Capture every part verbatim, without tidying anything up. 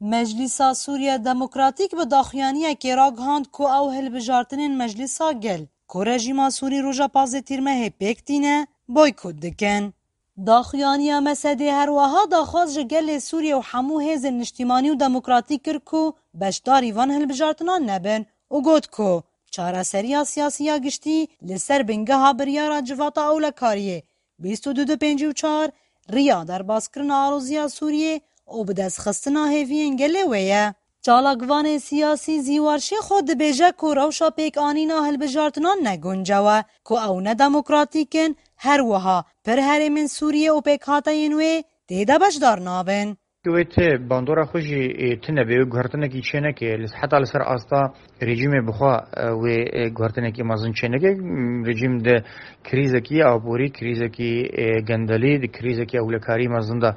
Meclîsa Sûriye Demokratîk bi daxuyaniyekê ragihand ku ew hilbijartinên Meclîsa Gel ku rejîma Sûrî roja pazdeh Tîrmehê pêk tîne, boykot dikin. Daxuyaniya Mesedê her wiha daxwaz ji gelê Sûriye û hemû hêzên niştîmanî û demokratîk kir ku beşdarî van hilbijartinan nebin û got ku çareseriya siyasî ya giştî li ser bingeha biryara Civata Ewlekariyê bîst û du du pêncî û çar, riya derbaskirina aloziya Sûriyê û bidestxistina hêviyên gelê wê ye. Çalakvanê siyasî Zîwar Şêxo dibêje ku rewşa pêkanîna hilbijartinan ne guncaw e, ku ew ne demokratîk in, her wiha pir herêmên Sûriyê û pêkhateyên wê tê de beşdar nabin. Wê ti bandora xwe jî, e, tune bê, wê guhertinekî çêneke, li heta li ser asta rejîmê bixwe, e, wê, e, guhertinekî mezin çêneke. Rejîm di krîzekî aborî, krîzekî, e, gendelî, di krîzekî ewlekarî mezin de,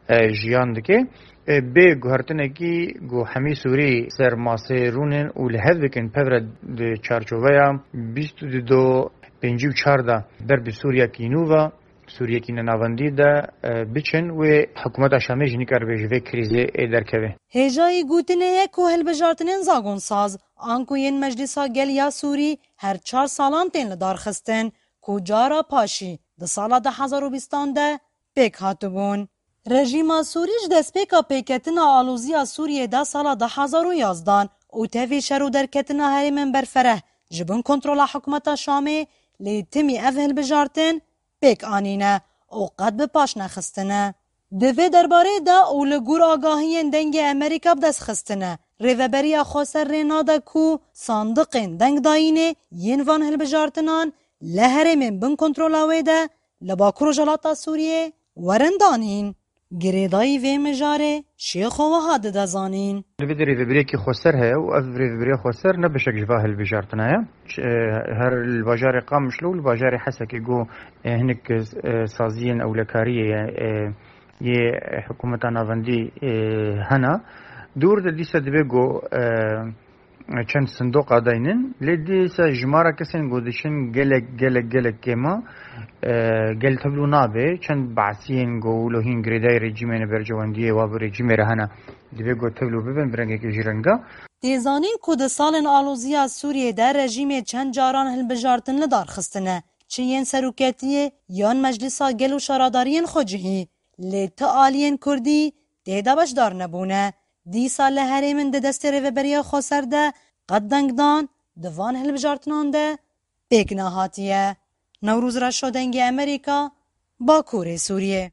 e, jiyan dike. E, bê guhertinekî ku hemî Sûrî ser masê rûnin û li hev dikin pevre di çarçoveya bîst û du pêncî û çar de ber bi Sûriyekî nû ve, Sûriyekî nenavendî de, e, biçin wê hikûmeta Şamê jî nikaribe ji vê krîzê, e, derkeve. Hêjayî gotinê ye ku hilbijartinên zagonsaz, anku yên Meclîsa Gel ya Sûrî her çar salan tên li dar xistin, ku cara paşî di sala du hezar û bîstan de pêk hatibûn. Rejîma Sûrî ji destpêka pêketina aloziya Sûriyê de sala du hezar û yazdan û tevî şer û derketina herêmên berfereh ji bin kontrola hikûmeta Şamê, lê timî ev hilbijartin pêk anîne û qet bi paş nexistine. Di vê derbarê de û li gor agahiyên Dengê Amerîka bi dest xistine, Rêveberiya Xweser rê nade ku sandiqên dengdayînê yên van hilbijartinan li herêmên bin kontrola wê de li Bakur Rojhilata Sûriyê werin danîn. Girêdayî vê mijarê Şêxo wiha dide zanîn. Li vê de rêvebiriyekî xweser heye û ev rêvebiriya xweser ne beşek ji va hilbijartina ye. Ç-, e, her li bajarê Qamişlo û li bajarê Hesekê ku, e, hinek, e, saziyên ewlekariyê ye, e, yê hikûmeta navendî, e, hene. Dûr de dîsa dibe ku, e, çend sindoqa daynin, lê dîsa jimara kesên ku diçin gelek, gelek, gelek kêm e, gel tevlû nabe, çend behsiyên ku wilo hîn girêdayî rejîmê ne berjewendiyê wa bi rejîmê re hene, dibe ku tevlû bibin bi rengekî jî renga. Tê zanîn ku di salên aloziya Sûriyê de rejîmê çend caran hilbijartin li dar xistine, çi yên seroketiyê yan Meclisa Gel û şaradariyên xwecihî, lê ti aliyên Kurdî tê de beşdar nebûne. Dîsa li herêmin di destê Rêveberiya Xweser de qet dengdan di van hilbijartinan de pêk nehatiye. Newroz Reşo, Dengê Amerîka, Bakurê Sûriyê.